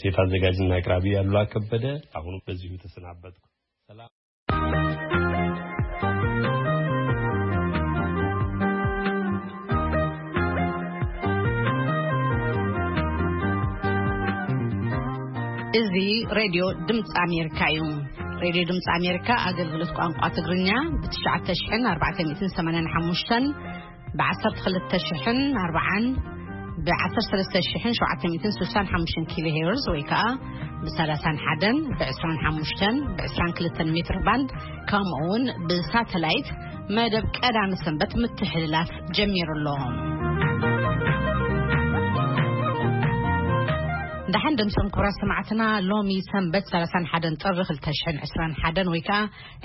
ሴት አዘጋጅና አቅራቢ አሉላ ከበደ። አሁኑ በዚሁ ተሰናበትኩ። ሰላም። እዚ ሬድዮ ድምፂ ኣሜሪካ እዩ። ሬድዮ ድምፂ ኣሜሪካ ኣገልግሎት ቋንቋ ትግርኛ ብ ትሽዓተ ሽሕን ኣርባዕተ ሚእትን ሰማንያን ሓሙሽተን፣ ብ ዓሰርተ ክልተ ሽሕን ኣርባዓን፣ ብ ዓሰርተ ሰለስተ ሽሕን ሸውዓተ ሚእትን ስሳን ሓሙሽተን ኪሎ ሄርዝ ወይ ከዓ ብ ሰላሳን ሓደን፣ ብ ዕስራን ሓሙሽተን፣ ብ ዕስራን ክልተን ሜትር ባንድ፣ ከምኡ እውን ብሳተላይት መደብ ቀዳመ ሰንበት ምትሕልላፍ ጀሚሩ ኣሎ። ደሓን ደምሶም ክቡራት ሰማዕትና፣ ሎሚ ሰንበት ሰላሳን ሓደን ጥሪ ክልተ ሽሕን ዕስራን ሓደን ወይ ከዓ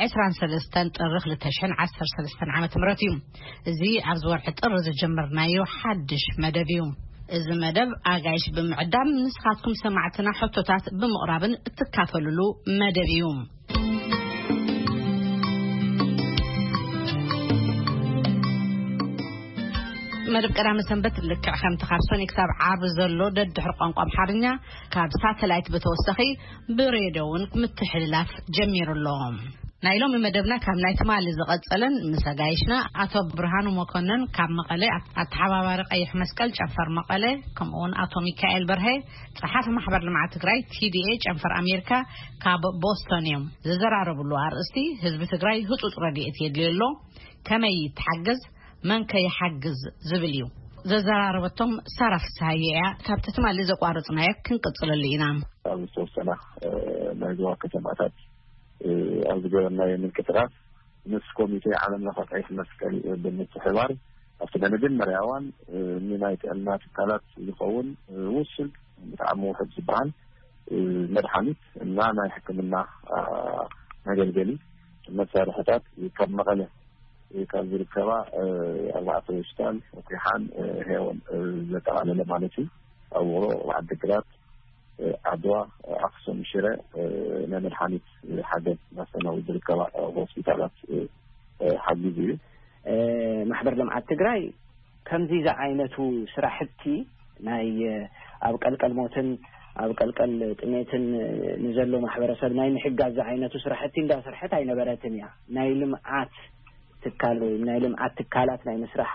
ዕስራን ሰለስተን ጥሪ ክልተ ሽሕን ዓሰርተ ሰለስተን ዓመተ ምህረት እዩ። እዚ ኣብዚ ወርሒ ጥሪ ዝጀመርናዮ ሓድሽ መደብ እዩ። እዚ መደብ ኣጋይሽ ብምዕዳም ንስኻትኩም ሰማዕትና ሕቶታት ብምቕራብን እትካፈሉሉ መደብ እዩ። መደብ ቀዳመ ሰንበት ልክዕ ከምቲ ካብ ሰኒ ክሳብ ዓርቢ ዘሎ ደድሕሪ ቋንቋ ኣምሓርኛ ካብ ሳተላይት ብተወሳኺ ብሬድዮ እውን ምትሕልላፍ ጀሚሩ ኣሎ። ናይ ሎሚ መደብና ካብ ናይ ትማሊ ዝቐጸለን ምስ ኣጋይሽና ኣቶ ብርሃኑ መኮነን ካብ መቐለ ኣተሓባባሪ ቀይሕ መስቀል ጨንፈር መቐለ፣ ከምኡ እውን ኣቶ ሚካኤል በርሀ ጸሓፊ ማሕበር ልምዓት ትግራይ ቲ ዲ ኤ ጨንፈር ኣሜሪካ ካብ ቦስቶን እዮም። ዘዘራረብሉ ኣርእስቲ ህዝቢ ትግራይ ህጹጽ ረድኤት የድልዮ ኣሎ፣ ከመይ ይተሓገዝ፣ መን ከ ይሓግዝ ዝብል እዩ። ዘዘራረበቶም ሳራ ፍስሃየ እያ። ካብቲ ትማሊ ዘቋረጽናዮ ክንቅጽለሉ ኢና። ኣብ ዝተወሰና፣ እ፣ ናይ ዞባ ከተማታት፣ እ፣ ኣብ ዝገበርናዮ ምንቅስቃስ ምስ ኮሚቴ ዓለም ለኸ ቀይሕ መስቀል ብምትሕባር ኣብቲ ናይ መጀመርያ እዋን፣ እ፣ ንናይ ጥዕና ትካላት ዝኸውን፣ እ፣ ውሱን ብጣዕሚ ውሑድ ዝበሃል፣ እ፣ መድሓኒት እና ናይ ሕክምና፣ አ፣ መገልገሊ መሳርሕታት ካብ መቐለ ካብ ዝርከባ፣ እ፣ ኣርባዕተ ሆስፒታል፣ ኩሓን፣ እ፣ ሄዎን፣ እ፣ ዘጠቓለለ ማለት እዩ። ኣብ ውቕሮ፣ ኣብ ዓዲግራት፣ እ፣ ዓድዋ፣ እ፣ ኣክሱም፣ ሽረ፣ እ፣ ናይ መድሓኒት ሓገዝ እናስተናገዱ ዝርከባ፣ እ፣ ሆስፒታላት፣ እ፣ እ፣ ሓጊዙ እዩ። እ፣ ማሕበር ልምዓት ትግራይ ከምዚ ዝዓይነቱ ስራሕቲ ናይ፣ እ፣ ኣብ ቀልቀል ሞትን ኣብ ቀልቀል ጥሜትን፣ እ፣ ንዘሎ ማሕበረሰብ ናይ ምሕጋዝ ዝዓይነቱ ስራሕቲ እንዳሰርሐት ኣይነበረትን እያ። ናይ ልምዓት ትካል ወይ ናይ ልምዓት ትካላት ናይ ምስራሕ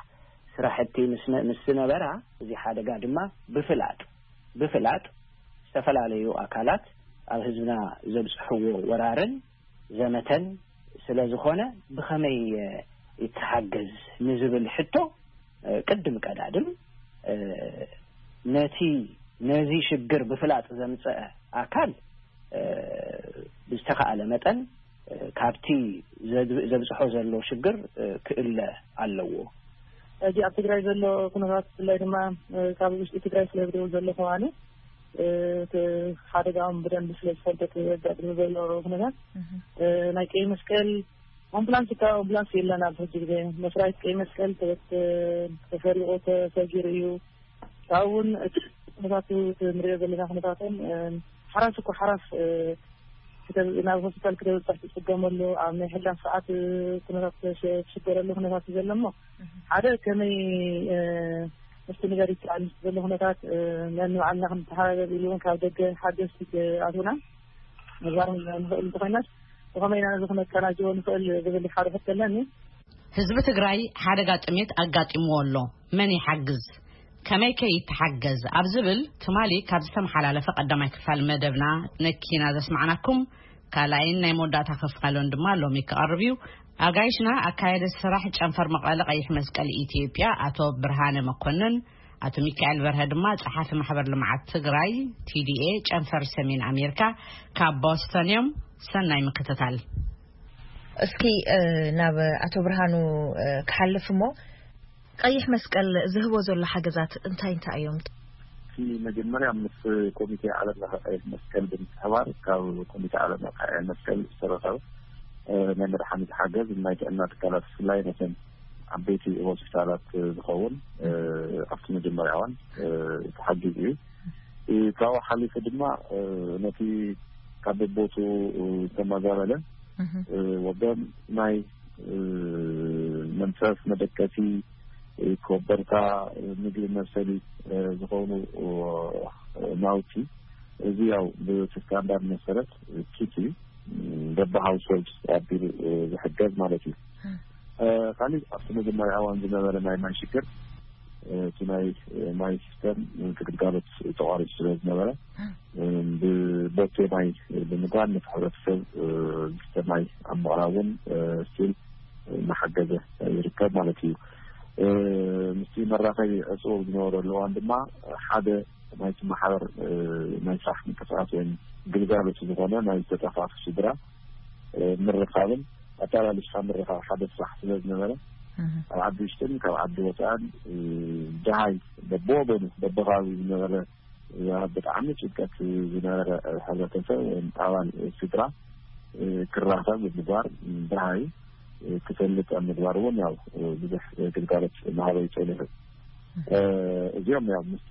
ስራሕቲ ምስ ነ-፣ ምስ ዝነበራ፣ እዚ ሓደጋ ድማ ብፍላጥ፣ ብፍላጥ ዝተፈላለዩ ኣካላት ኣብ ህዝብና ዘብፅሕዎ ወራርን ዘመተን ስለ ዝኾነ፣ ብኸመይ፣ እ፣ ይተሓገዝ ንዝብል ሕቶ፣ እ፣ ቅድም ቀዳድም፣ እ፣ ነቲ፣ ነዚ ሽግር ብፍላጥ ዘምፀአ ኣካል፣ እ፣ ብዝተኻእለ መጠን፣ እ፣ ካብቲ ዘብ-፣ ዘብፅሖ ዘሎ ሽግር፣ እ፣ ክእለ ኣለዎ። ሕጂ ኣብ ትግራይ ዘሎ ኩነታት፣ ብፍላይ ድማ፣ እ፣ ካብ ውሽጢ ትግራይ ስለ ዝደውል ዘለኹ ኣነ፣ እ፣ እቲ ሓደጋኦም ብደንቢ ስለ ዝፈልጦ፣ እቲ ዘጋጥም ዘሎ ኩነታት፣ እህ። እ፣ ናይ ቀይ መስቀል ኣምቡላንስ፣ እኳ ኣምቡላንስ የለን። ኣብ ሕጂ ግዜ መስራይት ቀይ መስቀል ተበት-፣ ተሰሪቑ፣ ተሰጊሩ እዩ። ካብኡ እውን እቲ ኩነታቱ፣ እቲ ንሪኦ ዘለና ኩነታቶም፣ እ፣ ሓራስ እኮ ሓራስ፣ እ፣ ክተ-፣ ናብ ሆስፒታል ክተብፅሕ ትፅገመሉ፣ ኣብ ናይ ሕላፍ ሰዓት፣ እ፣ ኩነታት ተሸ-፣ ትሽገረሉ ኩነታት እዩ ዘሎ እሞ፣ እህ። ሓደ ከመይ፣ እ፣ ምስትንጋር ይከኣል ዘሎ ኩነታት፣ እ፣ ነንባዕልና ክንተሓባበር ኢሉ እውን ካብ ደገ ሓገዝቲ ክኣትውና ምግባር ንኽእል እንተኾይናስ፣ ብኸመይ ኢና ነዚ ክነቀናጅቦ ንኽእል ዝብል ሓደ ሕቶ ኣለኒ። ህዝቢ ትግራይ ሓደጋ ጥሜት ኣጋጢምዎ ኣሎ። መን ይሓግዝ? ከመይ ከ ይተሓገዝ? ኣብ ዝብል ትማሊ ካብ ዝተመሓላለፈ ቀዳማይ ክፋል መደብና ነኪና ዘስማዕናኩም፣ ካልኣይን ናይ መወዳእታ ክፋሉን ድማ ሎሚ ክቐርብ እዩ። ኣጋይሽና ኣካየደ ስራሕ ጨንፈር መቐለ ቀይሕ መስቀል ኢትዮጵያ ኣቶ ብርሃነ መኮንን፣ ኣቶ ሚካኤል በርሀ ድማ ጸሓፊ ማሕበር ልምዓት ትግራይ ቲ ዲ ኤ ጨንፈር ሰሜን ኣሜሪካ ካብ ቦስተን እዮም። ሰናይ ምክትታል። እስኪ፣ እ፣ ናብ ኣቶ ብርሃኑ፣ እ፣ ክሓልፍ እሞ፣ ቀይሕ መስቀል ዝህቦ ዘሎ ሓገዛት እንታይ እንታይ እዮም? እቲ መጀመርያ ምስ ኮሚቴ ዓለም ለኸ ቀይሕ መስቀል ብምትሕባር ካብ ኮሚቴ ዓለም ለኸ ቀይሕ መስቀል ዝተረኸበ፣ እ፣ ናይ መድሓኒት ሓገዝ ናይ ጥዕና ትካላት ብፍላይ ነተን ዓበይቲ ሆስፒታላት ዝኸውን፣ እ፣ ኣብቲ መጀመርያ እዋን፣ እ፣ ተሓጊዙ እዩ። እ፣ ካብኡ ሓሊፉ ድማ፣ እ፣ ነቲ ካብ በቦቱ፣ እ፣ ዝተመዛበለ፣ እህ። እ፣ ወገን ናይ፣ እ፣ መንፈስ መደቀሲ፣ እ፣ ኮበርታ፣ እ፣ ምግቢ መብሰሊ፣ እ፣ ዝኾኑ፣ እ፣ ናውቲ እዚ ያው ብስታንዳርድ መሰረት ኪት እዩ። በቢ ሃውስሆልድ ኣቢሉ ዝሕገዝ ማለት እዩ። ካሊእ ኣብቲ መጀመርያ እዋን ዝነበረ ናይ ማይ ሽግር፣ እቲ ናይ ማይ ሲስተም ግልጋሎት ተቋሪፁ ስለ ዝነበረ፣ ብቦቴ ማይ ብምግባር ነቲ ሕብረተሰብ ዝስተ ማይ ኣብ ምቕራብ እውን ስቲል እናሓገዘ ይርከብ ማለት እዩ። ምስቲ መራኸቢ ዕፁ ዝነበረሉ እዋን ድማ ሓደ ናይቲ ማሕበር ናይ ስራሕ ምንቅስቃስ ወይም ግልጋሎት ዝኾነ ናይ ዝተጠፋፉ ስድራ ምርኻብን ኣታላሊሽካ ምርኻብ ሓደ ስራሕ ስለ ዝነበረ፣ ኣብ ዓዲ ውሽጥን ካብ ዓዲ ወፃእን ደሃይ በብወገኑ በብከባቢ ዝነበረ ብጣዕሚ ጭንቀት ዝነበረ ሕብረተሰብ ወይም ኣባል ስድራ ክራኸብ ምግባር፣ ደሃይ ክፈልጥ ኣብ ምግባር እውን ያው ብዙሕ ግልጋሎት እናሃበ ይፀንሑ። እዚኦም ያው ምስቲ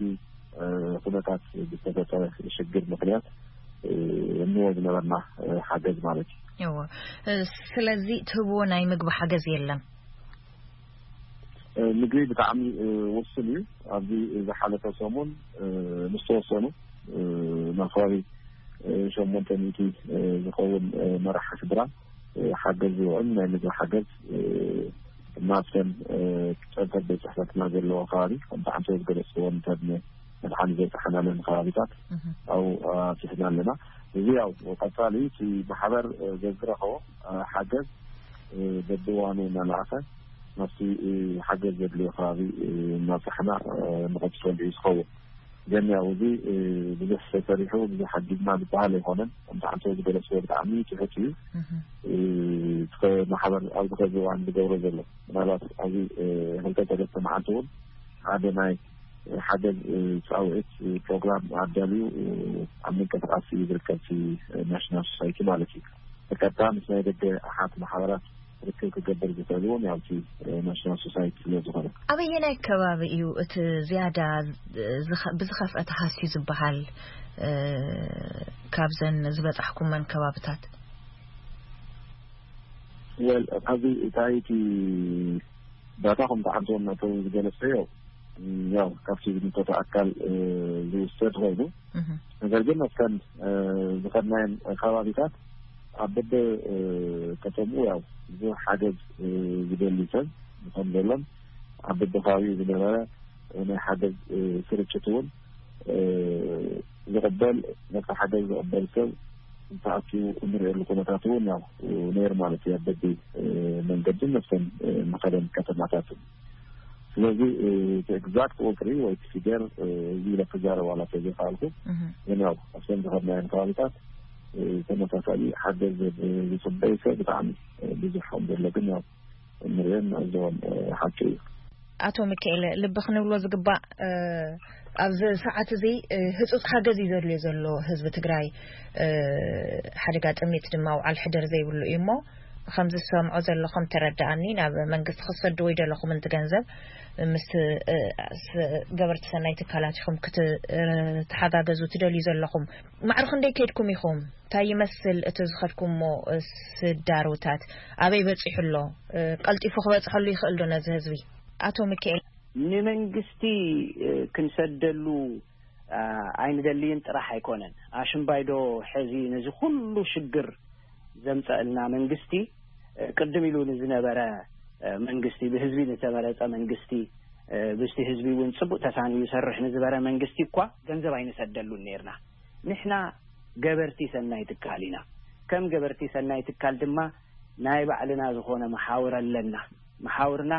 ኩነታት ዝተፈጠረ ሽግር ምክንያት እንዎ ዝነበርና ሓገዝ ማለት እዩ። እዎ። ስለዚ ትህብዎ ናይ ምግቢ ሓገዝ የለን? ምግቢ ብጣዕሚ ውሱን እዩ። ኣብዚ ዝሓለፈ ሰሙን ምስ ተወሰኑ ናብ ከባቢ ሸሞንተ ሚእቲ ዝኸውን መራሒ ስድራ ሓገዝ ዝውዕል ናይ ምግቢ ሓገዝ ናብተን ጨንፈር ቤት ፅሕፈትና ዘለዎ ከባቢ ከምቲ ዓንተወት ገለፅዎ እንተድነ መድሓኒ ዘይፀሓናለን ከባቢታት ኣብኡ ኣብፂሕና ኣለና። እዚ ያው ቀፃሊ እቲ ማሕበር ዘዝረኸቦ ሓገዝ በብዋኑ እናለኣኸ ናብቲ ሓገዝ ዘድልዮ ከባቢ እናብፃሕና ንቐፅለሉ እዩ ዝኸውን። ግን ያው እዚ ብዙሕ ተሰሪሑ ብዙሕ ሓጊዝና ዝበሃል ኣይኮነን። ከምቲ ዓንተወት ዝገለፅዎ ብጣዕሚ ትሑት እዩ። ማሕበር ኣብዚ ከዚ እዋን ዝገብሮ ዘሎ ምናልባት ኣብዚ ክልተ ሰለስተ መዓልቲ እውን ሓደ ናይ ሓገዝ ፃውዒት ፕሮግራም ኣዳልዩ ኣብ ምንቅስቃስ እዩ ዝርከብ ናሽናል ሶሳይቲ ማለት እዩ። ብቀጥታ ምስ ናይ ደገ ኣሓት ማሕበራት ርክብ ክገብር ዝኽእል እውን ያውቲ ናሽናል ሶሳይቲ ስለ ዝኾነ። ኣበየናይ ከባቢ እዩ እቲ ዝያዳ ብዝኸፍአ ተሃስዩ ዝበሃል? ካብዘን ዝበፃሕኩመን ከባብታት ወል ኣብዚ እታይቲ ዳታ ከም ተዓንቶ እናተው ዝገለጸዮ ያው ካብቲ ዝምልከቶ ኣካል ዝውሰድ ኮይኑ፣ ነገር ግን ኣብተን ዝኸድናየን ከባቢታት ኣብ በበ ከተምኡ ያው ብዙሕ ሓገዝ ዝደሊ ሰብ ከም ዘሎን ኣብ በበ ከባቢኡ ዝነበረ ናይ ሓገዝ ስርጭት እውን ዝቕበል ነቲ ሓገዝ ዝቕበል ሰብ ተኣኪቡ እንሪኤሉ ኩነታት እውን ያው ነይሩ ማለት እዩ። ኣብ በቢ መንገድን ነፍሰን መኸደን ከተማታትን ስለዚ እቲ ኤግዛክት ቁፅሪ ወይ እቲ ፊገር እዚ ኢለ ክዛረብ ዋላ ተዘይከኣልኩ፣ ግን ያው ኣብተን ዝኸድናየን ከባቢታት ተመሳሳሊ ሓገዝ ዝፅበይ ሰብ ብጣዕሚ ብዙሕ ከም ዘሎ ግን ያው እንሪኦን ንዕዘቦን ሓቂ እዩ። ኣቶ ሚካኤል፣ ልቢ ክንብሎ ዝግባእ ኣብዚ ሰዓት እዚ ህፁፅ ሓገዝ እዩ ዘድልዮ ዘሎ ህዝቢ ትግራይ። ሓደጋ ጥሜት ድማ ውዓል ሕደር ዘይብሉ እዩ እሞ ከም ዝሰምዖ ዘለኹም ተረዳኣኒ ናብ መንግስቲ ክትሰድዎ ይደለኹም እንት ገንዘብ ምስ ገበርቲ ሰናይ ትካላት ኢኹም ክትተሓጋገዙ ትደልዩ ዘለኹም። ማዕርኹ እንደይ ከድኩም ኢኹም? እንታይ ይመስል እቲ ዝኸድኩሞ ስዳርውታት? ኣበይ በፂሑ ኣሎ? ቀልጢፉ ክበፅሐሉ ይኽእል ዶ ነዚ ህዝቢ? ኣቶ ሚካኤል፣ ንመንግስቲ ክንሰደሉ ኣይንደልይን ጥራሕ ኣይኮነን። ኣሽምባይዶ ሕዚ ነዚ ኩሉ ሽግር ዘምፀእልና መንግስቲ ቅድም ኢሉ ንዝነበረ መንግስቲ፣ ብህዝቢ ንተመረፀ መንግስቲ፣ ብስቲ ህዝቢ እውን ፅቡቅ ተሳንዩ ይሰርሕ ንዝበረ መንግስቲ እኳ ገንዘብ ኣይንሰደሉን ነርና። ንሕና ገበርቲ ሰናይ ትካል ኢና። ከም ገበርቲ ሰናይ ትካል ድማ ናይ ባዕልና ዝኾነ መሓውር ኣለና። መሓውርና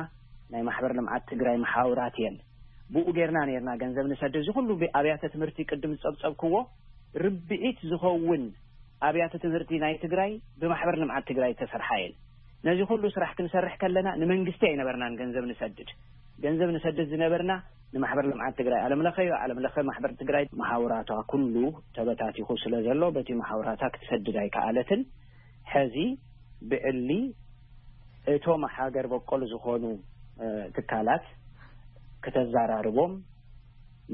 ናይ ማሕበር ልምዓት ትግራይ መሓውራት እየን። ብኡ ጌርና ነርና ገንዘብ ንሰድድ። እዚ ኩሉ ኣብያተ ትምህርቲ ቅድም ዝፀብፀብክዎ ርብዒት ዝኸውን ኣብያተ ትምህርቲ ናይ ትግራይ ብማሕበር ልምዓት ትግራይ ዝተሰርሓ እየን። ነዚ ኩሉ ስራሕ ክንሰርሕ ከለና ንመንግስቲ ኣይነበርናን ገንዘብ ንሰድድ። ገንዘብ ንሰድድ ዝነበርና ንማሕበር ልምዓት ትግራይ ዓለም ለኸ እዩ። ዓለም ለኸ ማሕበር ትግራይ መሓውራቷ ኩሉ ተበታቲኹ ስለ ዘሎ በቲ መሓውራታ ክትሰድድ ኣይከኣለትን። ሕዚ ብዕሊ እቶም ሃገር በቆል ዝኾኑ ትካላት ክተዛራርቦም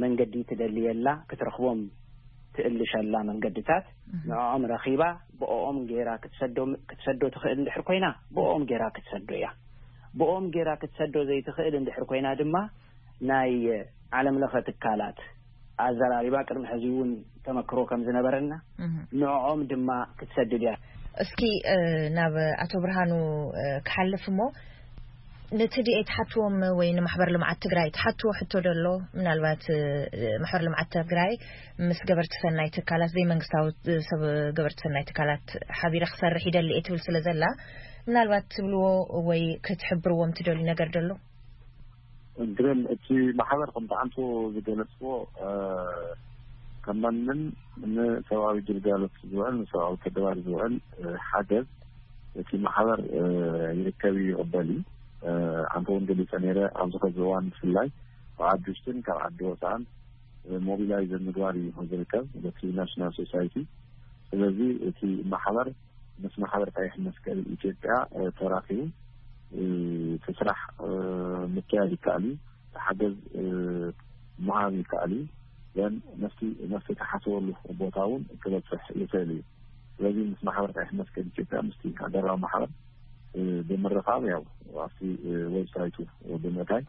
መንገዲ ትደልየላ ክትረኽቦም ትእልሸላ መንገድታት ንዕኦም ረኺባ ብኦም ገይራ ክትሰዶ ክትሰዶ ትኽእል እንድሕር ኮይና ብኦም ገይራ ክትሰዶ እያ። ብኦም ገይራ ክትሰዶ ዘይትኽእል እንድሕር ኮይና ድማ ናይ ዓለም ለኸ ትካላት ኣዘራሪባ ቅድሚ ሕዚ እውን ተመክሮ ከም ዝነበረና ንዕኦም ድማ ክትሰድድ እያ። እስኪ ናብ ኣቶ ብርሃኑ ክሓልፍ እሞ፣ ነቲ ድኤ ትሓትዎም ወይ ንማሕበር ልምዓት ትግራይ ትሓትዎ ሕቶ ደሎ? ምናልባት ማሕበር ልምዓት ትግራይ ምስ ገበርቲ ሰናይ ትካላት፣ ዘይመንግስታዊ ሰብ ገበርቲ ሰናይ ትካላት ሓቢረ ክሰርሕ ይደሊ እየ ትብል ስለ ዘላ፣ ምናልባት ትብልዎ ወይ ክትሕብርዎም ትደልዩ ነገር ደሎ? ግን እቲ ማሕበር ከምቲ ኣንቱ ዝገለጽዎ ከማንም ንሰብኣዊ ግልጋሎት ዝውዕል፣ ንሰብኣዊ ተግባር ዝውዕል ሓገዝ እቲ ማሕበር ይርከብ እዩ፣ ይቕበል እዩ። ኣንተ እውን ገሊጸ ነይረ፣ ኣብዚ ኸዚ እዋን ብፍላይ ካብ ዓዲ ውሽጥን ካብ ዓዲ ወፃእን ሞቢላይዝ ምግባር እዩ ዝርከብ በቲ ናሽናል ሶሳይቲ። ስለዚ እቲ ማሕበር ምስ ማሕበር ቀይሕ መስቀል ኢትዮጵያ ተራኺቡ እቲ ስራሕ ምክያድ ይከኣል እዩ። ሓገዝ ምሃብ ይከኣል እዩ። ዘን ነፍቲ ነፍቲ ተሓስበሉ ቦታ እውን ክበፅሕ ይኽእል እዩ። ስለዚ ምስ ማሕበር ቀይሕ መስቀል ኢትዮጵያ ምስቲ ሃገራዊ ማሕበር ብምርኻብ ያው ኣብቲ ዌብሳይቱ ብምእታይ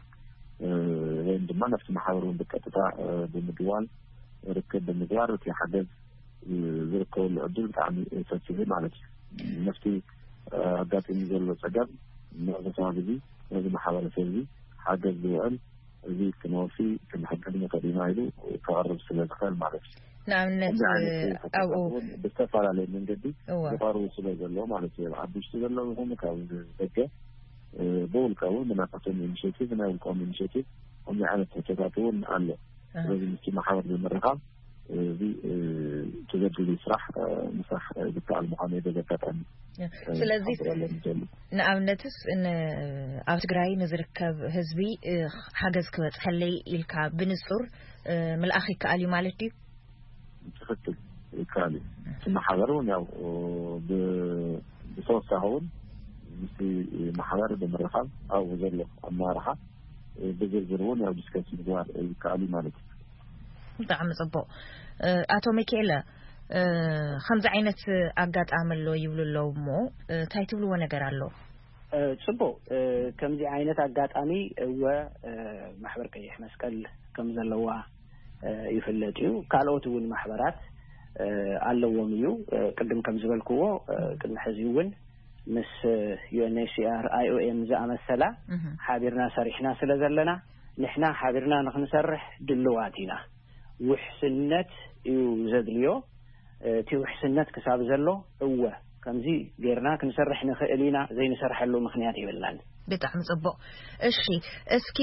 ወይም ድማ ነፍቲ ማሕበር እውን ብቀጥታ ብምድዋል ርክብ ብምግባር እቲ ሓገዝ ዝርከበሉ ዕድል ብጣዕሚ ሰፊሕ ማለት እዩ። ነፍቲ ኣጋጢሙ ዘሎ ፀገም ነዚ ከባቢ እዚ ነዚ ማሕበረሰብ እዚ ሓገዝ ዝውዕል እዚ ክንወፊ ክንሕግዝ ንኽእል ኢና ኢሉ ከቕርብ ስለ ዝኽእል ማለት እዩ። ንኣብነት ከምዚ ዓይነት ኣብኡ እውን ብዝተፈላለየ መንገዲ እወ ዝቐርቡ ስለ ዘሎ ማለት እዩ። ኣብ ውሽጢ ዘሎ ይኹን ካብ ደገ ብውልቀ እውን ብናታቶም ኢኒሽቲቭ ናይ ውልቀኦም ኢኒሽቲቭ ከምዚ ዓይነት ሕቶታት እውን ኣሎ። ስለዚ ምስቲ ማሕበር ብምርኻብ እዚ ተዘድሊ ስራሕ ምስራሕ ዝከኣል ምዃኑ እዩ በዚ ኣጋጣሚ ስለዚ ክሓብረሎም ዝደሊ። ንኣብነትስ ን- ኣብ ትግራይ ንዝርከብ ህዝቢ ሓገዝ ክበፅሐለይ ኢልካ ብንፁር ምልኣኽ ይከኣል እዩ ማለት ድዩ? ትኽክል ይከኣል እዩ። እቲ ማሕበር እውን ያው ብ- ብተወሳኺ እውን ምስቲ ማሕበር ብምርኻብ ኣብኡ ዘሎ ኣመራርሓ ብዝርዝር እውን ያው ዲስከስ ምግባር ይከኣል እዩ ማለት እዩ። ብጣዕሚ ፅቡቕ። ኣቶ ሚካኤለ፣ ከምዚ ዓይነት ኣጋጣሚ ኣሎ ይብሉ ኣለዉ እሞ እንታይ ትብልዎ ነገር ኣሎ? ፅቡቕ። ከምዚ ዓይነት ኣጋጣሚ እወ ማሕበር ቀይሕ መስቀል ከም ዘለዋ ይፍለጥ እዩ። ካልኦት እውን ማሕበራት ኣለዎም እዩ። ቅድም ከም ዝበልክዎ ቅድሚ ሕዚ እውን ምስ ዩ ኤን ኤች ሲ ኣር፣ ኣይ ኦ ኤም ዝኣመሰላ ሓቢርና ሰሪሕና ስለ ዘለና ንሕና ሓቢርና ንክንሰርሕ ድልዋት ኢና። ውሕስነት እዩ ዘድልዮ። እቲ ውሕስነት ክሳብ ዘሎ እወ ከምዚ ጌርና ክንሰርሕ ንኽእል ኢና፣ ዘይንሰርሐሉ ምኽንያት የብልናን። ብጣዕሚ ጽቡቕ። እሺ፣ እስኪ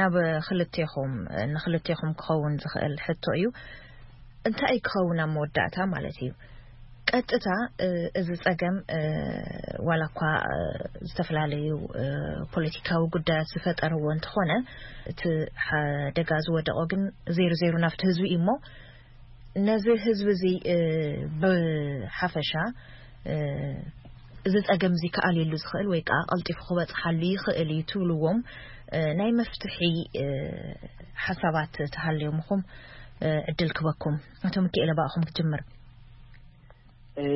ናብ ክልቴኹም ንክልቴኹም ክኸውን ዝኽእል ሕቶ እዩ። እንታይ ክኸውን ኣብ መወዳእታ ማለት እዩ? ቀጥታ እዚ ጸገም ዋላ እኳ ዝተፈላለዩ ፖለቲካዊ ጉዳያት ዝፈጠርዎ እንተኾነ እቲ ሓደጋ ዝወደቆ ግን ዜሩ ዜሩ ናብቲ ህዝቢ እዩ እሞ ነዚ ህዝቢ እዚ ብሓፈሻ እዚ ጸገም እዚ ክኣልየሉ ዝኽእል ወይ ከዓ ቀልጢፉ ክበጽሓሉ ይኽእል እዩ ትብልዎም ናይ መፍትሒ ሓሳባት ተሃልዮምኹም ዕድል ክበኩም። ኣቶ ሚካኤለ ብኣኹም ክጅምር።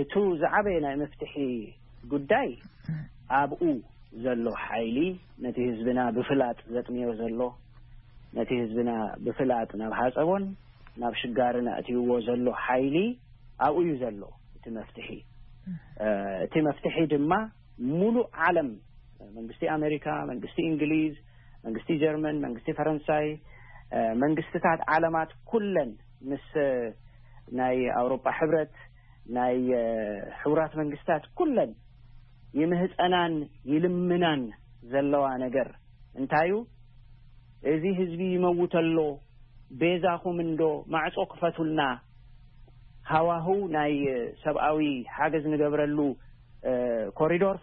እቱ ዝዓበየ ናይ መፍትሒ ጉዳይ ኣብኡ ዘሎ ሓይሊ ነቲ ህዝብና ብፍላጥ ዘጥምዮ ዘሎ ነቲ ህዝብና ብፍላጥ ናብ ሓፀቦን ናብ ሽጋርን ኣእትይዎ ዘሎ ሓይሊ ኣብኡ እዩ ዘሎ እቲ መፍትሒ። እቲ መፍትሒ ድማ ሙሉእ ዓለም መንግስቲ ኣሜሪካ፣ መንግስቲ እንግሊዝ፣ መንግስቲ ጀርመን፣ መንግስቲ ፈረንሳይ፣ መንግስትታት ዓለማት ኩለን ምስ ናይ ኣውሮጳ ሕብረት ናይ ሕቡራት መንግስታት ኩለን ይምህፀናን ይልምናን ዘለዋ ነገር እንታዩ? እዚ ህዝቢ ይመውት ኣሎ፣ ቤዛኹም እንዶ ማዕጾ ክፈቱልና፣ ሃዋህው ናይ ሰብኣዊ ሓገዝ ንገብረሉ ኮሪዶር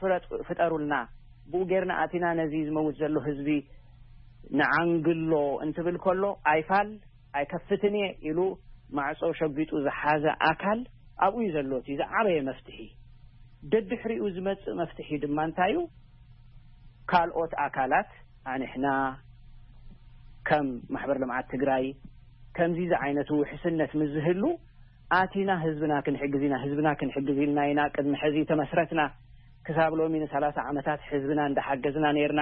ፍጠሩልና፣ ብኡ ጌርና ኣቲና ነዚ ዝመውት ዘሎ ህዝቢ ንዓንግሎ እንትብል ከሎ ኣይፋል ኣይከፍትን እየ ኢሉ ማዕጾ ሸጒጡ ዝሓዘ ኣካል ኣብኡ እዩ ዘሎ እቲ ዝዓበየ መፍትሒ። ደድሕሪኡ ዝመጽእ መፍትሒ ድማ እንታይ እዩ? ካልኦት ኣካላት ኣንሕና ከም ማሕበር ልምዓት ትግራይ ከምዚ ዝዓይነቱ ውሕስነት ምስ ዝህሉ ኣቲና ህዝብና ክንሕግዝ ኢና፣ ህዝብና ክንሕግዝ ኢልና ኢና ቅድሚ ሕዚ ተመስረትና። ክሳብ ሎሚ ንሰላሳ ዓመታት ህዝብና እንዳሓገዝና ነይርና።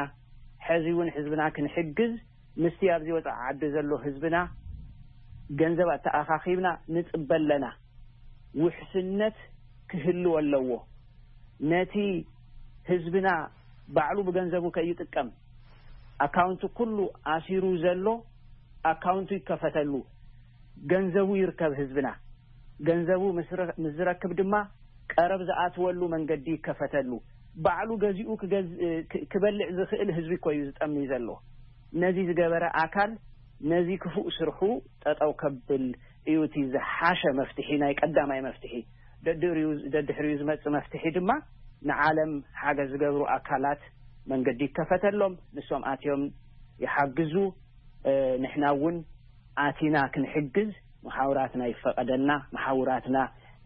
ሕዚ እውን ህዝብና ክንሕግዝ ምስቲ ኣብዚ ወፃኢ ዓዲ ዘሎ ህዝብና ገንዘብ ኣተኣኻኺብና ንጽበ ኣለና። ውሕስነት ክህልዎ ኣለዎ። ነቲ ህዝብና ባዕሉ ብገንዘቡ ከይጥቀም፣ ኣካውንት ኩሉ ኣሲሩ ዘሎ ኣካውንቱ ይከፈተሉ፣ ገንዘቡ ይርከብ ህዝብና። ገንዘቡ ምስ ረ-፣ ምስ ዝረክብ ድማ ቀረብ ዝኣትወሉ መንገዲ ይከፈተሉ። ባዕሉ ገዚኡ ክገዝ-፣ ክ-፣ ክበልዕ ዝኽእል ህዝቢ እኮ እዩ ዝጠሚ ዘሎ። ነዚ ዝገበረ ኣካል ነዚ ክፉእ ስርሑ ጠጠው ከብል እዩ እቲ ዝሓሸ መፍትሒ፣ ናይ ቀዳማይ መፍትሒ። ደድሕሪኡ፣ ደድሕሪኡ ዝመጽእ መፍትሒ ድማ ንዓለም ሓገዝ ዝገብሩ ኣካላት መንገዲ ይከፈተሎም፣ ንሶም ኣትዮም ይሓግዙ። እ፣ ንሕና እውን ኣቲና ክንሕግዝ መሓውራትና ይፈቐደልና፣ መሓውራትና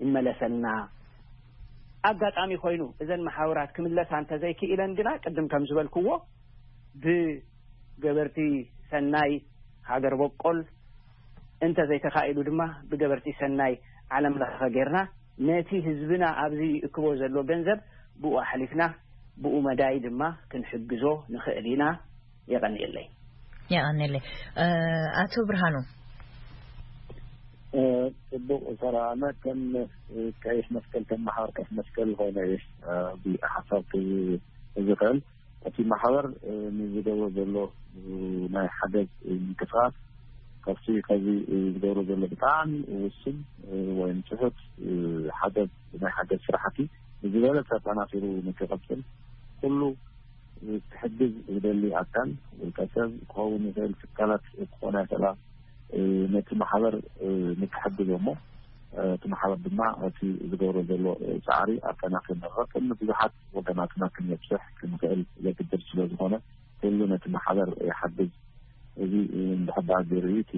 ይመለሰልና። ኣጋጣሚ ኮይኑ እዘን መሓውራት ክምለሳ እንተዘይክኢለን ግና፣ ቅድም ከም ዝበልክዎ፣ ብገበርቲ ሰናይ ሃገር በቆል እንተዘይተኻኢሉ ድማ ብገበርቲ ሰናይ ዓለም ለኸ ጌርና ነቲ ህዝብና ኣብዚ ይእክቦ ዘሎ ገንዘብ ብኡ ኣሕሊፍና ብኡ መዳይ ድማ ክንሕግዞ ንኽእል ኢና። የቐንየለይ። የቐንየለይ። እ፣ ኣቶ ብርሃኑ። እ፣ ጽቡቕ ሰላም። ከም፣ እ፣ ቀይሕ መስቀል፣ ከም ማሕበር ቀይሕ መስቀል ኾይነ እየ፣ እ፣ እዚ ሓሳብ ክህብ ዝኽእል። እቲ ማሕበር፣ እ፣ ንዝገብሮ ዘሎ፣ እ፣ ናይ ሓገዝ፣ እ፣ ምንቅስቃስ ካብቲ፣ ከዚ፣ እ፣ ዝገብሮ ዘሎ ብጣዕሚ ውሱን፣ እ፣ ወይ ንጽሑፍ፣ እ፣ ሓገዝ፣ ናይ ሓገዝ ስራሕቲ ብዝበለጸ ኣጠናኺሩ ንክቕጽል ኩሉ፣ እ፣ ክሕግዝ ዝደሊ ኣካል፣ ውልቀ ሰብ ክኸውን ይኽእል፣ ትካላት ክኾና ይኽእላ፣ እ፣ ነቲ ማሕበር፣ እ፣ ንክሕግዞ እሞ፣ እ፣ እቲ ማሕበር ድማ እቲ ዝገብሮ ዘሎ፣ እ፣ ጻዕሪ ኣጠናኺሩ ንክቕጽል ንብዙሓት ወገናትና ክንበጽሕ ክንኽእል ዘግድድ ስለ ዝኾነ፣ ኩሉ ነቲ ማሕበር ይሓግዝ። እዚ፣ እ፣ እንድሕር ደኣ ገይሩ እዩ እቲ፣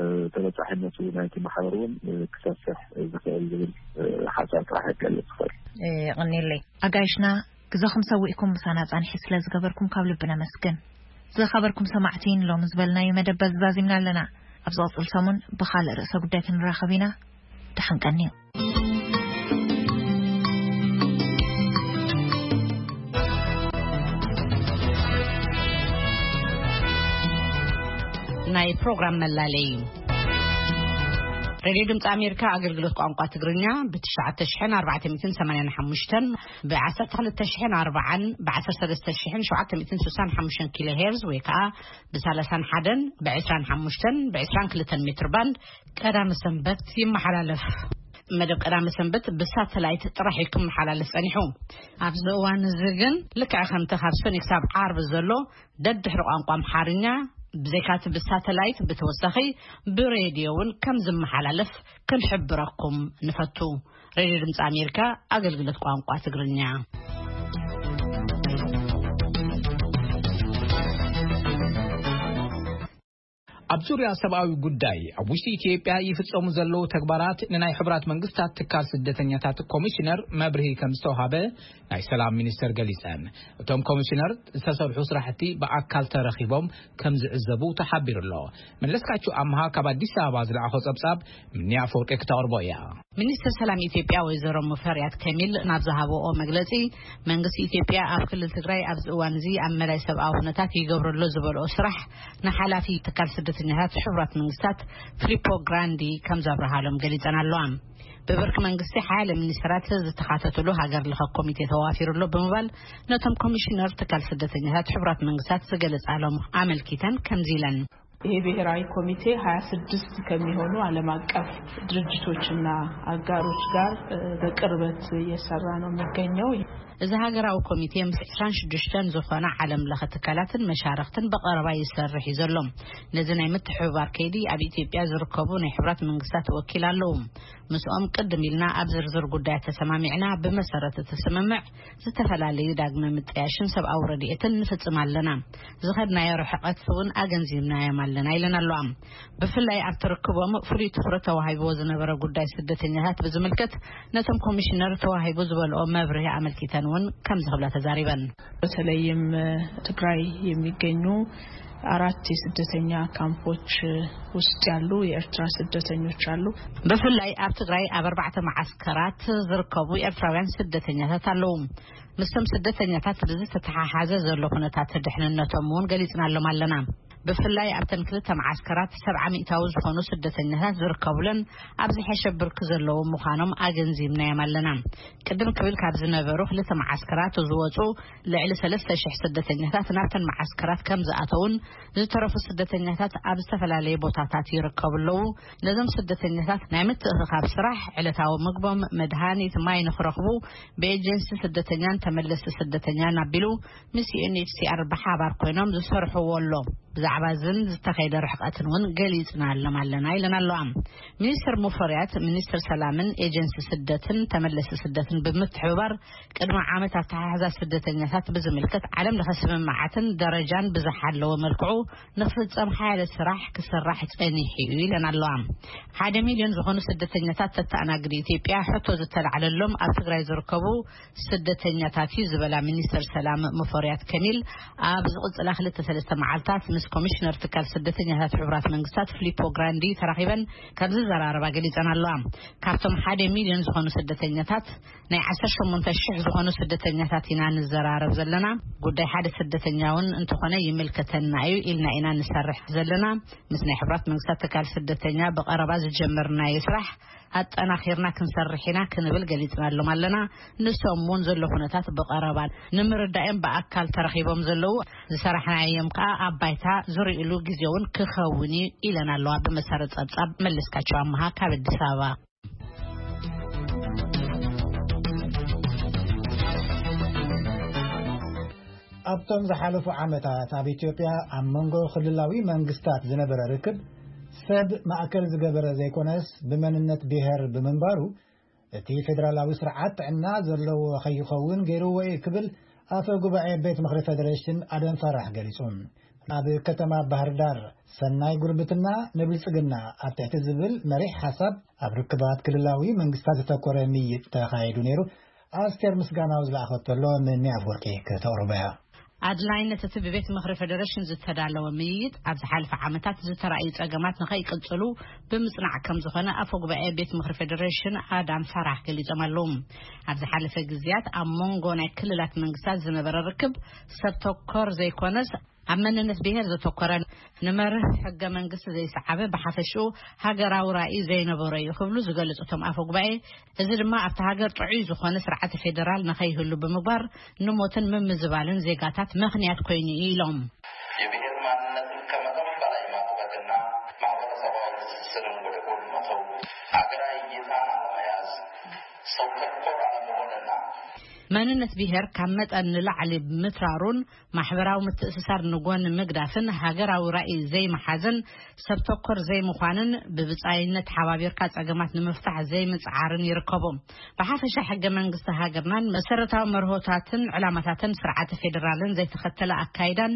እ፣ ተበጻሒነቱ ናይቲ ማሕበር እውን፣ እ፣ ክሰፍሕ ዝኽእል ዝብል፣ እ፣ ሓሳብ ጥራሕ ክገልጽ ይኽእል። እ፣ የቐንየለይ። ኣጋይሽና፣ ግዜኹም ሰዊእኩም ምሳና ጻንሒት ስለ ዝገበርኩም ካብ ልቢ ነመስግን። ዝኸበርኩም ሰማዕቲ፣ ንሎሚ ዝበልናዮ መደብ በዚ ዛዚምና ኣለና። ኣብ ዝቕጽል ሰሙን ብኻልእ ርእሰ ጉዳይ ክንራኸብ ኢና። ደሓን ቀንዩ። ናይ ፕሮግራም መላለይ። ሬድዮ ድምፂ ኣሜሪካ ኣገልግሎት ቋንቋ ትግርኛ ብ ትሽዓተ ሽሕን ኣርባዕተ ሚእትን ሰማንያን ሓሙሽተን፣ ብ ዓሰርተ ክልተ ሽሕን ኣርባዓን፣ ብ ዓሰርተ ሰለስተ ሽሕን ሸውዓተ ሚእትን ስሳን ሓሙሽተን ኪሎ ሄርዝ ወይ ከዓ ብ ሰላሳን ሓደን፣ ብ ዕስራን ሓሙሽተን፣ ብ ዕስራን ክልተን ሜትር ባንድ ቀዳመ ሰንበት ይመሓላለፍ። መደብ ቀዳመ ሰንበት ብሳተላይት ጥራሕ እዩ ክመሓላለፍ ጸኒሑ። ኣብዚ እዋን እዚ ግን ልክዕ ከምቲ ካብ ሰኒ ክሳብ ዓርቢ ዘሎ ደድሕሪ ቋንቋ ኣምሓርኛ ብዘይካቲ ብሳተላይት ብተወሳኺ ብሬድዮ እውን ከም ዝመሓላለፍ ክንሕብረኩም ንፈቱ። ሬድዮ ድምፂ ኣሜሪካ ኣገልግሎት ቋንቋ ትግርኛ። ኣብ ዙርያ ሰብኣዊ ጉዳይ ኣብ ውሽጢ ኢትዮጵያ ይፍጸሙ ዘለዉ ተግባራት ንናይ ሕቡራት መንግስታት ትካል ስደተኛታት ኮሚሽነር መብርሂ ከም ዝተውሃበ ናይ ሰላም ሚኒስተር ገሊጸን። እቶም ኮሚሽነር ዝተሰርሑ ስራሕቲ ብኣካል ተረኺቦም ከም ዝዕዘቡ ተሓቢሩ ኣሎ። መለስካቸው ኣምሃ ካብ ኣዲስ ኣበባ ዝለኣኾ ጸብጻብ ምንያ ኣፈወርቂ ክተቕርቦ እያ። ሚኒስተር ሰላም ኢትዮጵያ ወይዘሮ ሙፈሪያት ከሚል ናብ ዝሃበኦ መግለጺ፣ መንግስቲ ኢትዮጵያ ኣብ ክልል ትግራይ ኣብዚ እዋን እዚ ኣብ መላይ ሰብኣዊ ኩነታት ይገብረሎ ዝበልኦ ስራሕ ንሓላፊ ትካል ስደተኛታት ሕቡራት መንግስታት ፊሊፖ ግራንዲ ከም ዘብርሃሎም ገሊጸን ኣለዋ። ብብርኪ መንግስቲ ሓያለ ሚኒስተራት ዝተኻተትሉ ሃገር ለኸ ኮሚቴ ተዋፊሩ ኣሎ ብምባል ነቶም ኮሚሽነር ትካል ስደተኛታት ሕቡራት መንግስታት ዝገለጻሎም ኣመልኪተን ከምዚ ኢለን። ይሄ ብሔራዊ ኮሚቴ ሃያ ስድስት ከሚሆኑ ዓለም አቀፍ ድርጅቶችና አጋሮች ጋር፣ እ፣ በቅርበት እየሰራ ነው የሚገኘው። እዚ ሃገራዊ ኮሚቴ ምስ ዕስራን ሽዱሽተን ዝኾና ዓለም ለኸ ትካላትን መሻርኽትን ብቐረባ ይሰርሕ እዩ ዘሎ። ነዚ ናይ ምትሕብባር ከይዲ ኣብ ኢትዮጵያ ዝርከቡ ናይ ሕቡራት መንግስታት ወኪል ኣለዉ። ምስኦም ቅድም ኢልና ኣብ ዝርዝር ጉዳያት ተሰማሚዕና፣ ብመሰረት እቲ ስምምዕ ዝተፈላለዩ ዳግመ ምጥያሽን ሰብኣዊ ረድኤትን ንፍጽም ኣለና። ዝኸድናዮ ርሕቀት እውን ኣገንዚብናዮም ኣለና ኢለን ኣለዋ። ብፍላይ ኣብቲ ርክቦም ፍሉይ ትኹረት ተዋሂብዎ ዝነበረ ጉዳይ ስደተኛታት ብዝምልከት ነቶም ኮሚሽነር ተዋሂቡ ዝበልኦ መብርሂ ኣመልኪተን እውን ከምዚ ክብላ ተዛሪበን። በተለይም ትግራይ የሚገኙ አራት የስደተኛ ካምፖች ውስጥ ያሉ የኤርትራ ስደተኞች አሉ። ብፍላይ ኣብ ትግራይ ኣብ ኣርባዕተ መዓስከራት ዝርከቡ ኤርትራውያን ስደተኛታት ኣለዉ። ምስቶም ስደተኛታት ብዝተተሓሓዘ ዘሎ ኩነታት ድሕንነቶም እውን ገሊጽናሎም ኣለና። ብፍላይ ኣብተን ክልተ መዓስከራት ሰብዓ ሚእታዊ ዝኾኑ ስደተኛታት ዝርከቡለን ኣብ ዝሐሸ ብርኪ ዘለዉ ምዃኖም ኣገንዚብናዮም ኣለና። ቅድም ክብል ካብ ዝነበሩ ክልተ መዓስከራት ዝወፁ ልዕሊ ሰለስተ ሽሕ ስደተኛታት ናብተን መዓስከራት ከም ዝኣተውን ዝተረፉ ስደተኛታት ኣብ ዝተፈላለየ ቦታታት ይርከቡ ኣለዉ። ነዞም ስደተኛታት ናይ ምትእኽኻብ ስራሕ፣ ዕለታዊ ምግቦም፣ መድሃኒት፣ ማይ ንኽረኽቡ ብኤጀንሲ ስደተኛን ተመለስቲ ስደተኛን ኣቢሉ ምስ ዩ ኤን ኤች ሲ ኣር ብሓባር ኮይኖም ዝሰርሕዎ ኣሎ። ብዛዕባ እዝን ዝተኸይደ ርሕቀትን እውን ገሊጽና ኣሎም ኣለና ኢለን ኣለዋ። ሚኒስትር ሙፈርያት፣ ሚኒስትር ሰላምን ኤጀንሲ ስደትን ተመለስቲ ስደትን ብምትሕብባር ቅድሚ ዓመት ኣተሓሕዛ ስደተኛታት ብዝምልከት ዓለም ለኸ ስምምዓትን ደረጃን ብዝሓ ኣለዎ መልክዑ ንኽፍጸም ሓያለ ስራሕ ክስራሕ ጸኒሑ እዩ ኢለን ኣለዋ። ሓደ ሚልዮን ዝኾኑ ስደተኛታት ተተኣናግድ ኢትዮጵያ ሕቶ ዝተላዕለሎም ኣብ ትግራይ ዝርከቡ ስደተኛታት እዩ ዝበላ ሚኒስትር ሰላም ሙፈርያት ከሚል፣ ኣብ ዝቕጽላ ክልተ ሰለስተ መዓልታት ምስ ኮሚሽነር ትካል ስደተኛታት ሕቡራት መንግስታት ፊሊፖ ግራንዲ ተራኺበን ከም ዝዘራረባ ገሊጸን ኣለዋ። ካብቶም ሓደ ሚልዮን ዝኾኑ ስደተኛታት ናይ ዓሰርተ ሸሞንተ ሽሕ ዝኾኑ ስደተኛታት ኢና ንዘራረብ ዘለና። ጉዳይ ሓደ ስደተኛ እውን እንተኾነ ይምልከተና እዩ ኢልና ኢና ንሰርሕ ዘለና። ምስ ናይ ሕቡራት መንግስታት ትካል ስደተኛ ብቐረባ ዝጀመርናዮ ስራሕ ኣጠናኺርና ክንሰርሕ ኢና ክንብል ገሊጽናሎም ኣለና። ንሶም እውን ዘሎ ኩነታት ብቐረባ ንምርዳእም ብኣካል ተረኺቦም ዘለዉ ዝሰራሕናዮም ከኣ ኣብ ባይታ ዝርእሉ ግዜ እውን ክኸውን እዩ ኢለን ኣለዋ። ብመሰረት ጸብጻብ መለስካቸው ኣመሃ ካብ ኣዲስ ኣበባ። ኣብቶም ዝሓለፉ ዓመታት ኣብ ኢትዮጵያ ኣብ መንጎ ክልላዊ መንግስታት ዝነበረ ርክብ ሰብ ማእከል ዝገበረ ዘይኮነስ ብመንነት ብሔር ብምንባሩ እቲ ፌደራላዊ ስርዓት ጥዕና ዘለዎ ከይኸውን ገይርዎ እዩ ክብል ኣፈ ጉባኤ ቤት ምኽሪ ፌደሬሽን ኣደም ፋራሕ ገሊጹ። ኣብ ከተማ ባህር ዳር ሰናይ ጉርብትና ንብልጽግና ኣብ ትሕቲ ዝብል መሪሕ ሓሳብ ኣብ ርክባት ክልላዊ መንግስታት ዝተኮረ ምይጥ ተኻይዱ ነይሩ። ኣስቴር ምስጋናው ዝለኣኸቶ ኣሎ። ምኒ ኣፍወርቂ ከተቕርቦ እያ። ኣድላይነት እቲ ብቤት ምኽሪ ፌደሬሽን ዝተዳለወ ምይይጥ ኣብ ዝሓለፈ ዓመታት ዝተራእዩ ጸገማት ንኸይቅጽሉ ብምጽናዕ ከም ዝኾነ ኣፈ ጉባኤ ቤት ምኽሪ ፌደሬሽን ኣዳም ፋራሕ ገሊጾም ኣለዉ። ኣብ ዝሓለፈ ግዜያት ኣብ መንጎ ናይ ክልላት መንግስታት ዝነበረ ርክብ ሰብ ተኮር ዘይኮነስ ኣብ መንነት ብሄር ዘተኮረ፣ ንመርህ ሕገ መንግስቲ ዘይሰዓበ፣ ብሓፈሽኡ ሃገራዊ ራእይ ዘይነበሮ እዩ ክብሉ ዝገልጹ እቶም ኣፈ ጉባኤ፣ እዚ ድማ ኣብቲ ሃገር ጥዑይ ዝኾነ ስርዓተ ፌደራል ንኸይህሉ ብምግባር ንሞትን ምምዝባልን ዜጋታት ምኽንያት ኮይኑ እዩ ኢሎም። የብሄር ማንነትን ከመቶም በላይ ማጥበቅና ማህበረሰባዊ ትስስርን ወደ ጎን መተው፣ ሀገራዊ እይታን አለመያዝ፣ ሰው ተኮር አለመሆንና መንነት ብሄር ካብ መጠን ንላዕሊ ምትራሩን ማሕበራዊ ምትእስሳር ንጎን ምግዳፍን ሃገራዊ ራእይ ዘይምሓዝን ሰብ ተኮር ዘይምዃንን ብብጻይነት ተሓባቢርካ ጸገማት ንምፍታሕ ዘይምጽዓርን ይርከቡ። ብሓፈሻ ሕገ መንግስቲ ሃገርናን መሰረታዊ መርሆታትን ዕላማታትን ስርዓተ ፌደራልን ዘይተኸተለ ኣካይዳን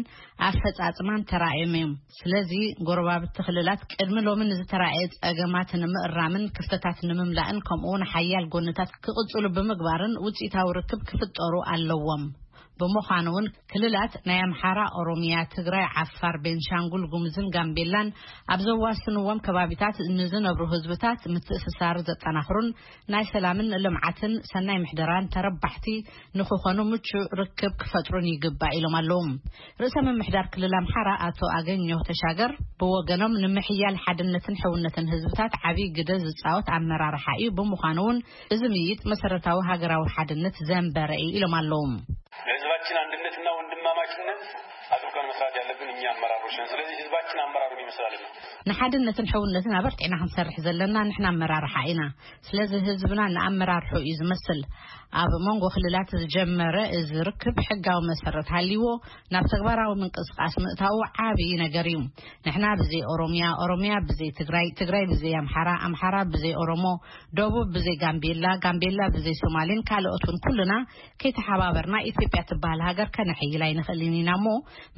ኣፈጻጽማን ተራእዮም እዮም። ስለዚ ጎረባብቲ ክልላት ቅድሚ ሎሚ ንዝተራእየ ጸገማት ንምእራምን ክፍተታት ንምምላእን ከምኡውን ሓያል ጎንታት ክቕጽሉ ብምግባርን ውጽኢታዊ ርክብ ክፍጠሩ ኣለዎም። ብምዃኑ እውን ክልላት ናይ ኣምሓራ፣ ኦሮሚያ፣ ትግራይ፣ ዓፋር፣ ቤንሻንጉል ጉምዝን ጋምቤላን ኣብ ዘዋስንዎም ከባቢታት ንዝነብሩ ህዝብታት ምትእስሳር ዘጠናኽሩን ናይ ሰላምን ልምዓትን ሰናይ ምሕደራን ተረባሕቲ ንክኾኑ ምቹእ ርክብ ክፈጥሩን ይግባእ ኢሎም ኣለዉ። ርእሰ ምምሕዳር ክልል ኣምሓራ ኣቶ ኣገኘሁ ተሻገር ብወገኖም ንምሕያል ሓድነትን ሕውነትን ህዝብታት ዓብዪ ግደ ዝፃወት ኣመራርሓ እዩ። ብምዃኑ እውን እዚ ምይይጥ መሰረታዊ ሃገራዊ ሓድነት ዘንበረ እዩ ኢሎም ኣለዉ። ለህዝባችን አንድነትና ወንድማማችነት አጥብቀን መስራት ያለብን እኛ አመራሮች ነን። ስለዚህ ህዝባችን አመራሩን ይመስላልና። ንሓድነትን ሕውነትን ኣበርቲዕና ክንሰርሕ ዘለና ንሕና ኣመራርሓ ኢና። ስለዚ ህዝብና ንኣመራርሑ እዩ ዝመስል። ኣብ መንጎ ክልላት ዝጀመረ እዚ ርክብ ሕጋዊ መሰረት ሃልይዎ ናብ ተግባራዊ ምንቅስቃስ ምእታዉ ዓብዪ ነገር እዩ። ንሕና ብዘይ ኦሮሚያ፣ ኦሮሚያ ብዘይ ትግራይ፣ ትግራይ ብዘይ ኣምሓራ፣ ኣምሓራ ብዘይ ኦሮሞ፣ ደቡብ ብዘይ ጋምቤላ፣ ጋምቤላ ብዘይ ሶማሌን ካልኦት እውን ኩልና ከይተሓባበርና ኢትዮጵያ ትበሃል ሃገር ከነሕይል ኣይንኽእልን ኢና እሞ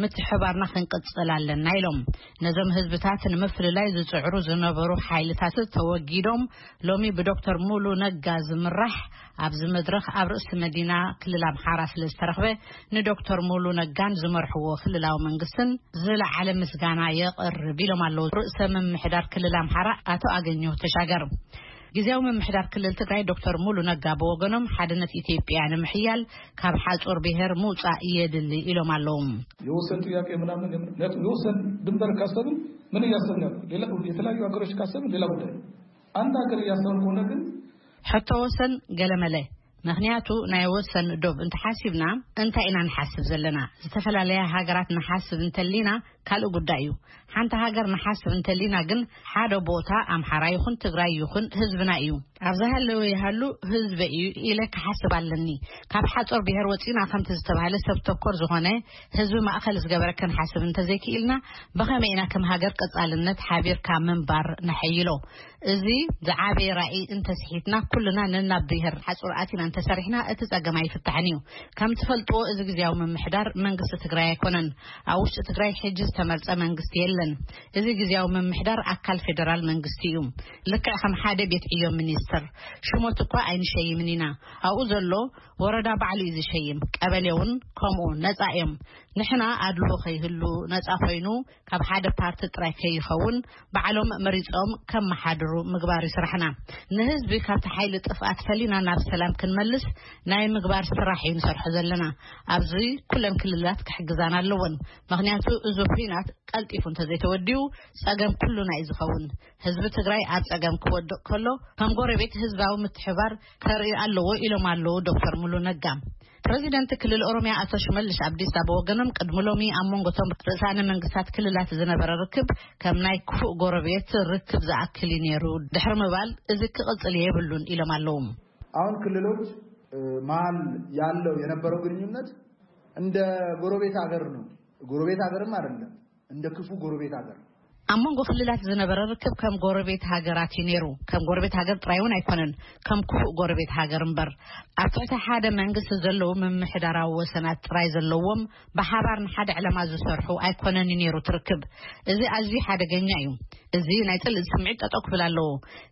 ምትሕባርና ክንቅጽል ኣለና ኢሎም። ነዞም ህዝብታት ንምፍልላይ ዝጽዕሩ ዝነበሩ ሓይልታት ተወጊዶም ሎሚ ብዶክተር ሙሉ ነጋ ዝምራሕ ኣብዚ መድረኽ ኣብ ርእሲ መዲና ክልል ኣምሓራ ስለ ዝተረኽበ፣ ንዶክተር ሙሉ ነጋን ዝመርሕዎ ክልላዊ መንግስትን ዝለዓለ ምስጋና የቕርብ ኢሎም ኣለዉ ርእሰ ምምሕዳር ክልል ኣምሓራ ኣቶ ኣገኘሁ ተሻገር። ግዜያዊ ምምሕዳር ክልል ትግራይ ዶክተር ሙሉ ነጋ ብወገኖም፣ ሓድነት ኢትዮጵያ ንምሕያል ካብ ሓጹር ብሔር ምውጻእ የድሊ ኢሎም ኣለዉ። የወሰን ጥያቄ ምናምን የም-፣ ምክንያቱም የወሰን ድንበር ካሰብን ምን እያሰብን ያለው ሌላ፣ የተለያዩ ሀገሮች ካሰብን ሌላ ጉዳይ። አንድ ሀገር እያሰብን ከሆነ ግን ሕቶ ወሰን ገለመለ። ምክንያቱ ናይ ወሰን ዶብ እንተሓሲብና እንታይ ኢና ንሓስብ ዘለና? ዝተፈላለያ ሃገራት ንሓስብ እንተሊና ካልእ ጉዳይ እዩ። ሓንቲ ሃገር ንሓስብ እንተሊና ግን ሓደ ቦታ ኣምሓራ ይኹን ትግራይ ይኹን ህዝብና እዩ። ኣብዛ ሃለወ ይሃሉ ህዝበ እዩ ኢለ ክሓስብ ኣለኒ። ካብ ሓጾር ብሔር ወጺና ከምቲ ዝተባህለ ሰብ ተኮር ዝኾነ ህዝቢ ማእከል ዝገበረ ክንሓስብ እንተዘይክኢልና ብኸመይ ኢና ከም ሃገር ቀጻልነት ሓቢርካ ምንባር ነሐይሎ? እዚ ዝዓበየ ራእይ እንተስሒትና ኩልና ነናብ ብሔር ሓጹር ኣቲና እንተሰሪሕና እቲ ጸገም ኣይፍታሕን እዩ። ከም ትፈልጥዎ እዚ ግዜያዊ ምምሕዳር መንግስቲ ትግራይ ኣይኮነን። ኣብ ውሽጢ ትግራይ ሕጂ ዝተመርጸ መንግስቲ የለን። እዚ ግዜያዊ ምምሕዳር ኣካል ፌደራል መንግስቲ እዩ። ልክዕ ከም ሓደ ቤት ዕዮ ሚኒስትር ሽሞት እኳ ኣይንሸይምን ኢና። ኣብኡ ዘሎ ወረዳ ባዕሉ እዩ ዝሸይም። ቀበሌ እውን ከምኡ ነጻ እዮም። ንሕና ኣድልዎ ከይህሉ ነጻ ኮይኑ ካብ ሓደ ፓርቲ ጥራይ ከይኸውን ባዕሎም መሪጾም ከመሓድሩ ምግባር እዩ ስራሕና። ንህዝቢ ካብቲ ሓይሊ ጥፍኣት ፈሊና ናብ ሰላም ክንመልስ ናይ ምግባር ስራሕ እዩ ንሰርሖ ዘለና። ኣብዚ ኩለን ክልላት ክሕግዛና ኣለወን። ምክንያቱ እዚ ኩናት ቀልጢፉ እንተዘይተወዲኡ ጸገም ኩሉና እዩ ዝኸውን። ህዝቢ ትግራይ ኣብ ጸገም ክወድቕ ከሎ ከም ጎረቤት ህዝባዊ ምትሕባር ከርኢ ኣለዎ ኢሎም ኣለዉ ዶክተር ሙሉ ነጋ። ፕረዚደንት ክልል ኦሮሚያ ኣቶ ሽመልሽ ኣብዲሳ ብወገኖም ቅድሚ ሎሚ ኣብ መንጎቶም ርእሳነ መንግስታት ክልላት ዝነበረ ርክብ ከም ናይ ክፉእ ጎረቤት ርክብ ዝኣክል እዩ ነይሩ ድሕሪ ምባል እዚ ክቕጽል የብሉን ኢሎም ኣለዉ። አሁን ክልሎች፣ እ፣ መሀል ያለው የነበረው ግንኙነት እንደ ጎረቤት ሀገር ነው። ጎረቤት ሀገርም አይደለም፣ እንደ ክፉ ጎረቤት ሀገር። ኣብ መንጎ ክልላት ዝነበረ ርክብ ከም ጎረቤት ሃገራት እዩ ነይሩ። ከም ጎረቤት ሃገር ጥራይ እውን ኣይኮነን፣ ከም ክፉእ ጎረቤት ሃገር እምበር። ኣብ ትሕቲ ሓደ መንግስቲ ዘለዉ ምምሕዳራዊ ወሰናት ጥራይ ዘለዎም፣ ብሓባር ንሓደ ዕላማ ዝሰርሑ ኣይኮነን እዩ ነይሩ እቲ ርክብ። እዚ ኣዝዩ ሓደገኛ እዩ። እዚ ናይ ጽልኢ ስምዒት ጠጠው ክብል ኣለዎ።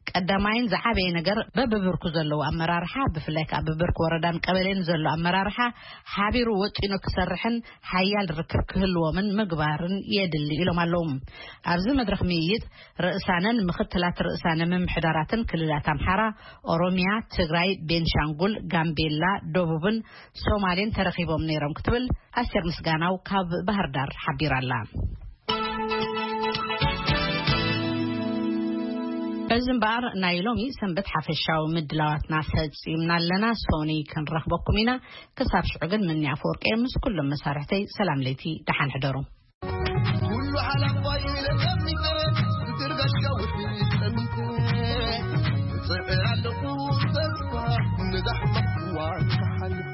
ቀዳማይን ዝዓበየ ነገር በብብርኩ ዘለዉ ኣመራርሓ፣ ብፍላይ ከኣ ብብርኪ ወረዳን ቀበሌን ዘሎ ኣመራርሓ ሓቢሩ ወጢኑ ክሰርሕን ሓያል ርክብ ክህልዎምን ምግባርን የድሊ ኢሎም ኣለዉ። ኣብዚ መድረኽ ምይይጥ ርእሳነን ምኽትላት ርእሳነ ምምሕዳራትን ክልላት ኣምሓራ፣ ኦሮሚያ፣ ትግራይ፣ ቤንሻንጉል፣ ጋምቤላ፣ ደቡብን ሶማሌን ተረኺቦም ነይሮም ክትብል ኣስቴር ምስጋናው ካብ ባህር ዳር ሓቢራ ኣላ። እዚ እምበኣር ናይ ሎሚ ሰንበት ሓፈሻዊ ምድላዋትና ፈጺምና ኣለና። ሶኒ ክንረኽበኩም ኢና። ክሳብ ሽዑ ግን ምኒ ኣፈወርቂ ምስ ኩሎም መሳርሕተይ ሰላም ለይቲ፣ ደሓን ሕደሩ። ኩሉ ሓላፋይ ኢለ ጠሚተ፣ ብትርጋሻ ውሒ ጠሚተ፣ እጽዕር ኣለኹ ተስፋ ነዛ ሕማቕ እዋን ክሓልፍ።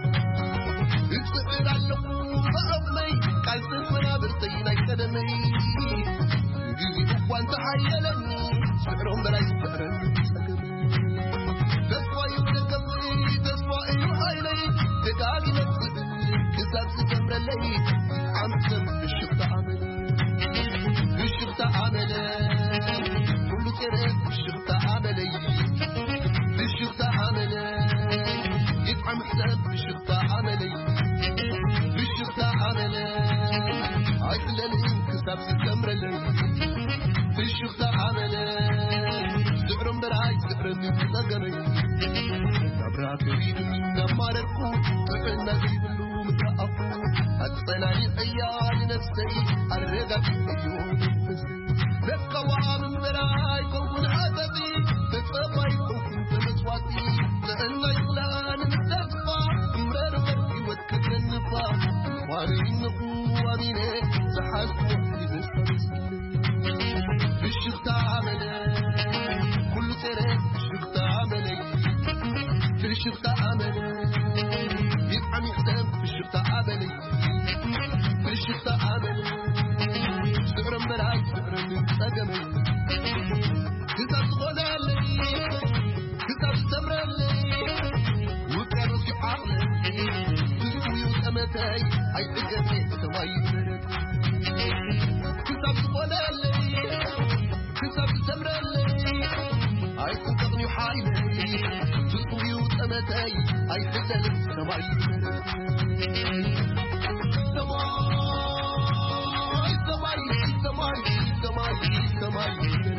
እጽዕር ኣለኹ ብዓቕመይ ቃልሲ መናብርተይ ናይ ቀደመይ። ግዜ እኳ እንተሓየለኒ፣ ስዕሮም በላይ ስዕረኒ ጸገመይ። ተስፋ ይብለከ ተስፋ እዩ ሓይለይ፣ ደጋጊመ ክስእ ክሳብ ዝሰምረለይ። ዓመት ሰብ ብሽኽታ ኣመለይ፣ ብሽኽታ ኣመለይ፣ ኩሉ ጼረ ብሽኽታ ኣመለይ፣ ብሽኽታ ኣመለይ፣ ይጥዓም ሕሰብ ብሽኽታ ኣመለይ፣ ብሽኽታ ኣመለይ፣ ኣይሕለልን ክሳብ ዝሰምረለይ፣ ብሽኽታ ኣመለይ፣ ስዕሮ እምበር ኣይስዕረኒ ጸገመይ። ናብራ ከቢዱኒ እናማረርኩ፣ ጥዕና ዘይብሉ ምስ ረኣኹ፣ ኣጸናኒዐያ ንነፍሰይ ኣረጋጊጸዮ መንፈሰይ። መቃወም እምበር ኣይከውን ሓጠጢ፣ ተጸባይ ከውን ተመስዋዕቲ። ጥዕና ይኽላን ምስ ተስፋ፣ እምበር በር ህይወት ከተንፋ። ኳሪ እንኹ ኣሚነ፣ ዝሓዝኩ ይመስል። ብሽኽታ ኣመለ፣ ኩሉ ጸረ ብሽኽታ ኣመለይ። ብሽኽታ ኣመለ፣ ይጥዓም ይሕሰም ብሽኽታ ኣመለይ። ብሽኽታ ኣመለ፣ ስዕሮ እምበር ኣይስዕረኒ ጸገመይ። ክሳብ ዝኾነለይ፣ ክሳብ ዝሰምረለይ፣ ውቅያኖስ እዩ ዓቕለይ። ትርጉም እዩ ጠመተይ፣ ኣይዕገበ ሰማይ ይበረድ። ክሳብ ዝኾነለይ፣ ክሳብ ዝሰምረለይ፣ ኣይጥንቀቕን እዩ ሓይለይ። ትርጉም እዩ ጠመተይ፣ ኣይትሰልም ሰማይ ሰማይ ሰማይ ሰማይ ሰማይ ሰማይ